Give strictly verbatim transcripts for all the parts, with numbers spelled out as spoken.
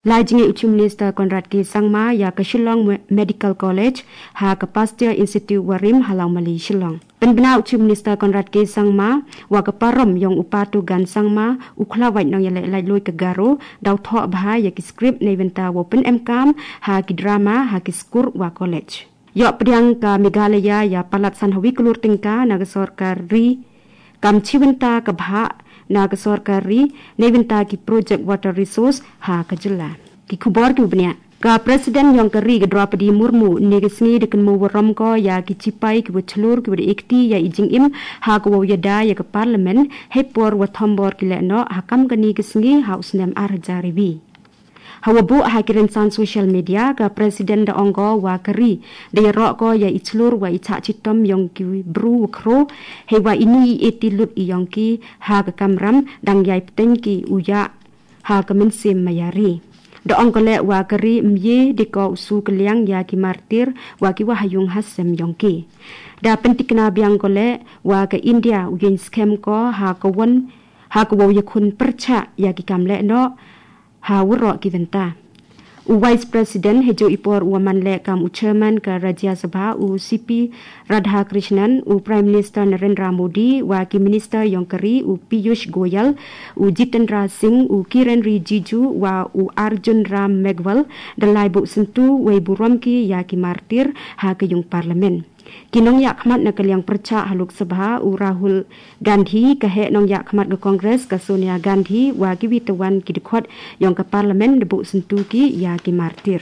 Lai jingeh u Chief Minister Conrad K Sangma ia ka Shillong Me-, Medical College ha ka Pasteur Institute warim ha Laumali Shillong. Pynbna u Chief Minister Conrad K Sangma wa ka parom iong u Patu Gan Sangma u khlawait nong ia leh laitloi ka Garo dau thoh bha ia ki script neibynta wow pynemkam ha ki drama ha ki skur wa college. Ioh pdiang ka Meghalaya ia palat san hawi klur tyngka na ka sorkar ri kam chibynta ka bha na ka sorkar ri neibynta ki project water resource ha ka jylla. Ki khubor ki bniah. Ka President iong ka ri ka Draupadi Murmu ni ka sngi da kynmo warom ko ia ki chipai ki wa chlur ki wa da ekti ia i jingim ha ka wow iada ia ka Parliament hei por wa thombor ki leh noh ha kam ka ni ka sngi ha u snem ar hajar iwi. Hawa buh ha ki rynsan social media ka President da ong ko wa ka ri da ia roh ko ia i chlur wa i chah chitom iong ki bru wa khro hei wa ini i eti lut iong ki ha ka kamram dang ia i pteng ki u ia ha ka mynsiem maya ri. Da ong ko leh wa ka ri mye de ko u su ka liang ia ki martir wa ki wa ha iung ha sem iong ki. Da pyntikna biang ko leh wa ka India u ieng skhem ko ha ka won ha ka wow ia khun pyrchah ia ki kam leh noh ha waroh ki bynta. U Vice President hei jo i por u wa man leh kam u Chairman ka Rajya Sabha u C P Radhakrishnan, u Prime Minister Narendra Modi, wa ki Minister iong ka ri u Piyush Goyal, u Jitendra Singh, u Kiren Rijiju, wa u Arjun Ram Meghwal, da lai buh syntu wei burom ki ia ki martir ha ka iung Parliament. Ki nong ia khmat na ka liang pyrchah ha Lok Sabha u Rahul Gandhi, ka heh nong ia khmat ka Congress ka Sonia Gandhi wa ki wi tawan ki dkhot iong ka Parliament da buh syntu ki ia ki martir.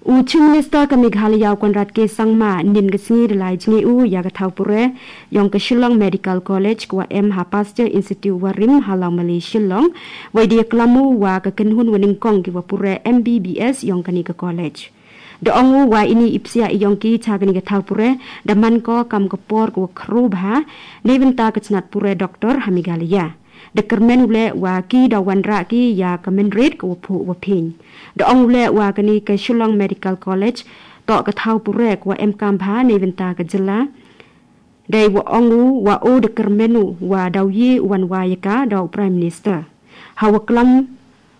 U Chief Minister ka Meghalaya u Conrad K Sangma nin ka sngi da lai jingeh u ia ka thaw pure iong ka Shillong Medical College ka wa em ha Pasteur Institute warim ha Laumali Shillong. Wei da ia klam u wa ka kynhun wa nyngkong ki wa pure M B B S iong ka ni ka college. Da ong u wa ini i psiah iong ki cha ka ni ka thaw pure da man ko kam ka por ka wa khro bha neibynta ka chnat pure doctor ha Meghalaya. Da kyrmen u leh wa ki da wanrah ki ia ka mynrit ka wa phuh wa phieng. Da ong u leh wa ka ni ka Shillong Medical College toh ka thaw pure ka wa emkam bha neibynta ka jylla. Dei wa ong u wa o da kyrmen u wa dau ye u wan wa ia ka da u Prime Minister. Hawa klam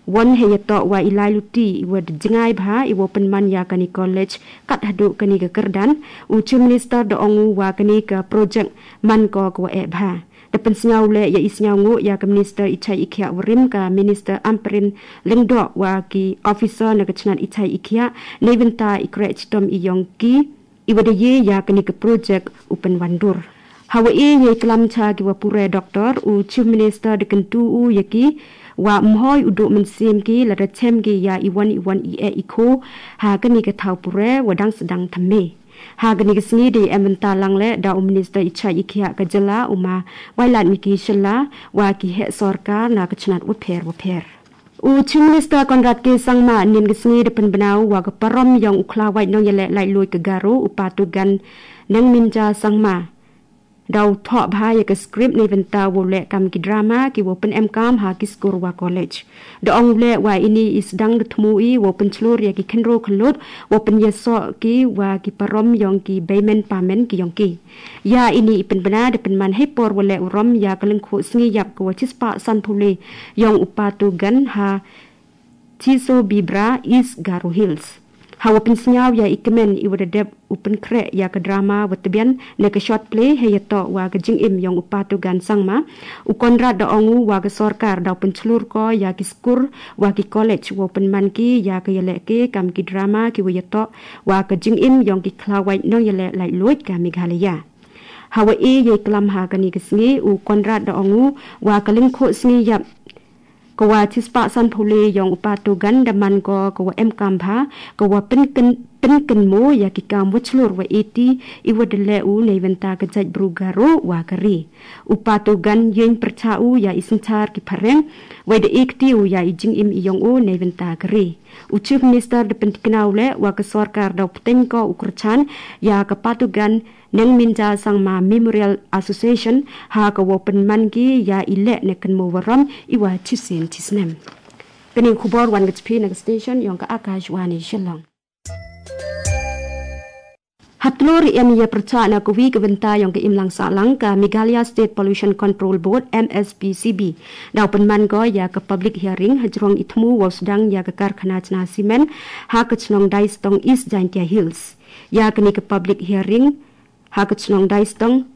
won hei ia toh wa i lai luti i wa da jngai bha i wa pynman ia ka ni college kat haduh ka ni ka kyrdan. U Chief Minister da ong u wa ka ni ka project man ko ka wa eh bha. Da pynsngew leh ia i sngew nguh ia ka Minister i chai i khiah warim ka Minister Ampareen Lyngdoh wa ki officer na ka chnat i chai i khiah neibynta i kreh chitom iong ki i wa da ye ia ka ni ka project u pynwandur. Hawa e ia i klam cha ki wa pure doctor u Chief Minister da kyntu u ia ki wa mhoi u duh mynsiem ki lada chem ki ia i wan i wan i eh i kho ha ka ni ka thaw pure wa dang sdang thymme. Ha ka ni ka sngi da i em bynta lang leh da u Minister i chai i khiah ka jylla u ma Wailadmiki Shylla wa ki heh sorkar na ka chnat wa pher wa pher. U Chief Minister Conrad K Sangma nin ka sngi da pynbna u wa ka parom iong u khlawait nong ia leh laitloi ka Garo u Patu Gan Nengminja Sangma dau thoh bha ia ka script neibynta wow leh kam ki drama ki wow pynemkam ha ki skur wa college. Da ong u leh wa ini i sdang da thmu i wow pynchlur ia ki khynro khyllut wow pynyasoh ki wa ki parom iong ki beimen pamen ki iong ki. Ia ini i pynbna da pynman hei por wa leh urom ia ka lyngkhuh sngi iap ka wa chispah sanphew le iong u Patu Gan ha Chisobibra, East Garo Hills. Hawa pynsngew ia i kmen i wa da dep u pynkhreh ia ka drama wa tbian na ka short play hei ia toh wa ka jingim iong u Patu Gan Sangma. U Conrad da ong u wa ka sorkar dau pynchlur ko ia ki skur wa ki college wow pynman ki ia ka ia leh ke kam ki drama ki wa ia toh wa ka jingim iong ki khlawait nong ia leh laitloi ka Meghalaya. Hawa e ia i klam ha ka ni ka sngi u Conrad da ong u wa ka lyngkhuh sngi iap ka wa chispah sanphew le iong u Patu Gan da man ko ka wa emkam bha ka wa pynkyn-, pynkynmo ia ki kam wa chlur wa eti i wa da leh u neibynta ka jaitbru Garo wa ka ri. U Patu Gan ieng pyrchah u ia i synchar ki phareng wei da ekti u ia i jingim iong u neibynta ka ri. U Chief Minister da pyntikna u leh wa ka sorkar dau pteng ko u kyrchan ia ka Patu Gan Nengminja Sangma Memorial Association ha ka wow pynman ki ia i leh na kynmo warom i wa chisien chisnem. Ka ni khubor wan ka chiphi na ka station iong ka Akashvani Shillong. Hatlur em ia percha na kawi kebenta yong ke imlang salang ka Meghalaya State Pollution Control Board, M S P C B. Dau penman go ya ke public hearing hajrong itmu wau sedang ya ke karkhana chna simen ha ke chnong Daistong, East Jaintia Hills. Ya ke ni ke public hearing ha ke chnong Daistong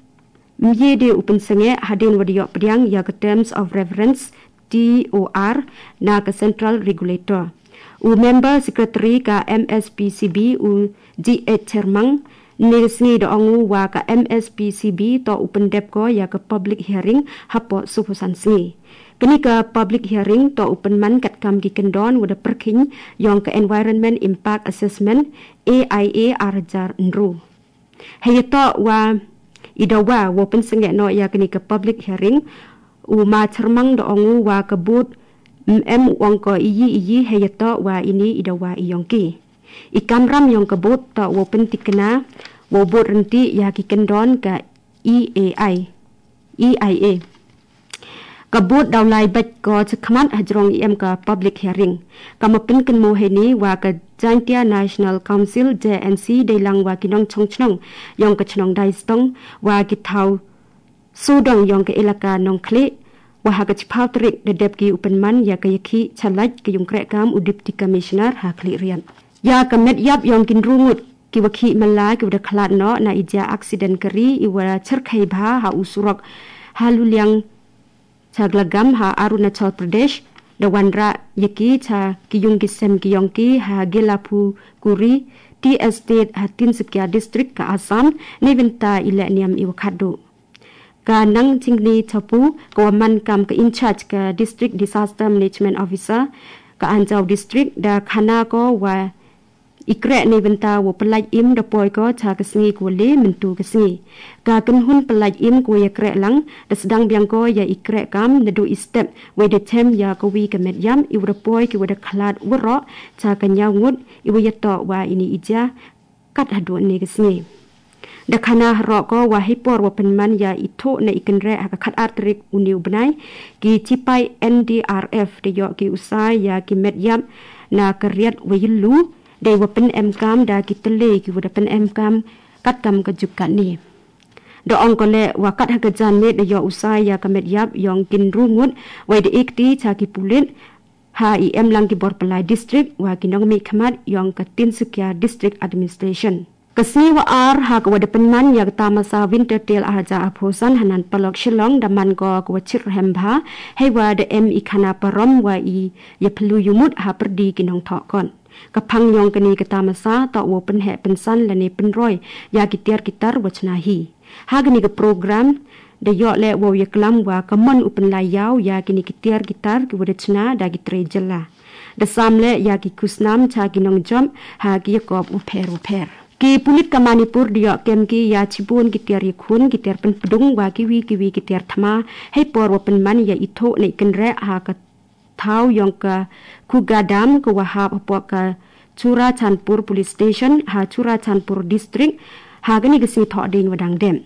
mye de upen senge hadin wadiok pediang ya ke Terms of Reference, T O R, na ke Central Regulator. U member secretary ka M S P C B u G H Chermang ne sngi da ongu wa ka M S P C B to upen dep ko ya ke public hearing hapo supusan sngi. Keni ka public hearing to upen man kat kam ki kendon wada perking yong ke Environment Impact Assessment, A I A, arjar nru. Heyeto wa idawa wo pensengek no ya keni ke public hearing, u ma Chermang da ongu wa ke board, mm, em u ong ko iyi iyi heyeto wa ini idawa iyong ki. I kamram yong ke board to wo pentikna, wo board renti ya ki kendon ka E A I, E I A. Ka board dau lai bait ko chakmat hajrong em ka public hearing. Ka mapin ken mo heni wa ka Jaintia National Council, J N C, deilang wa ki nong chong chnong yong ka chnong Daistong wa ki thau sudong yong ka elaka nong kli wa ha ka chipau tarik da dep ki upen man ya ka yakhi chalait ka yung krek kam u Deputy Commissioner ha kli rian. Ya ka met yap yong kin rungut ki wa khi mala ki wa da khalat no na ija accident kari i wa cherkhai bha ha u surok ha luliang Chaglagam ha Arunachal Pradesh, da wanra yaki cha kiyung kisem kiyongki ha Gelapu Kuri, T Estate ha Tinsukia District ka Assam, ne vinta ile niam iwa khadu. Ka nang chingni chapu, ka wa man kam ka in charge ka District Disaster Management Officer, ka Anjao District, da khana ko wa ikrek ni benta wo pelaj im da poi ko cha ka sngi ko le mentu ka sngi. Ka kenhun pelaj im ko ya krek lang da sedang biang ko ya ikrek kam da do i step wei da chem ya ko wi ka met yam i wa da poi ki wa da khalat wa ro cha ka nyaw ngut i wa ya to wa ini ija kat hadu ni ka sngi. Da khana harok ko wa hipor wa penman ya i tho na i kenrek ha ka khat ar tarik uni u bnai ki chipai N D R F da yok ki usai ya ki met yam na ka riat wa yillu. Dei wa pen em kam da ki tele ki wa da pen em kam kat kam ka juk kat ni. Da ong ko le wa kat ha ka jan met da yo usai ya ka met yap yong kin ru ngut wai da ek ti cha ki pulit ha i em lang ki bor pelai district wa ki nong mi khamat yong ka Tinsukia District Administration. Ka sngi wa ar ha ka wa da pen man ya ka tamasa winter tail a haja a phosan hanan palok Shillong da man ko ka wa chir hem bha hei wa da em i khana parom wa i ya pelu yumut ha perdi ki nong thok kon. Ka phang yong kani ka tamasa, ta wo penhek pensan lane penroi ya ki tiar ki tar wa chna hi. Ha kani ka program da yok le wow ya klam wa ka mon u penlai yau ya kini ki tiar ki tar ki wa da chna da ki tre jylla. Da sam le ya ki kusnam cha ki nong jom ha ki yakop u pher u pher. Ki pulit ka Manipur da yok kem ki ya chibun ki tiar ya khun ki tiar penpdung wa ki wi ki wi ki tiar thma hei por wa penman ya i tho na i kenrek ha ka thau yong ka Khuga Dam ka wa hap hapoh ka Churachandpur Police Station ha Churachandpur District ha kani ka sngi thok ding wa dang dem.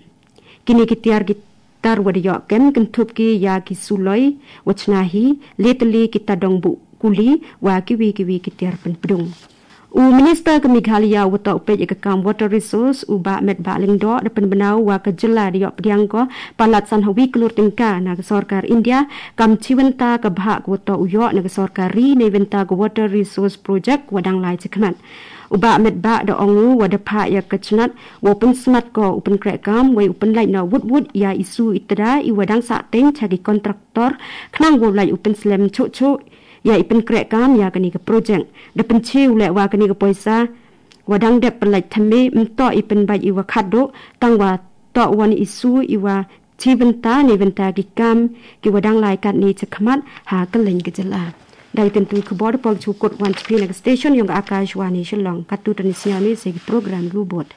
Kini ki tiar ki tar wa da yok kem kenthup ki ya ki suloi wa chna hi le tali ki tadong bu kuli wa ki wi ki wi ki tiar penpdung. U Minister ka Meghalaya wa ta u peit ya ka kam Water Resource u Bah Metbah Lyngdoh da penbenau wa ka jylla da yok pdiang ko palat san hawi klur tengka na ka sorkar India kam chiwenta ka bhah ka wa ta u yok na ka sorkar ri ne wenta ka Water Resource Project wa dang lai chakmat. U Bah Metbah da ongu wa da phah ya ka chnat wa u pensmat ko u penkrek kam wei u penlait na wut wut ya isu itada i wa dang sa teng cha ki kontraktor khnang wa u lait u penslem chuh chuh ya i penkrek kam ya kani ka project. Da penchi u le wa kani ka poisa wa dang dep pelait thame mto i penbait i wa khaddo tang wa to wan isu i wa chi benta ni benta ki kam ki wa dang lai kat ni chakhmat ha ka leng ka jylla. Dai tentu khubor pol chukut wan chpi na ka station yong ka Akashvani Shillong katu tani siami se ki program lu bot.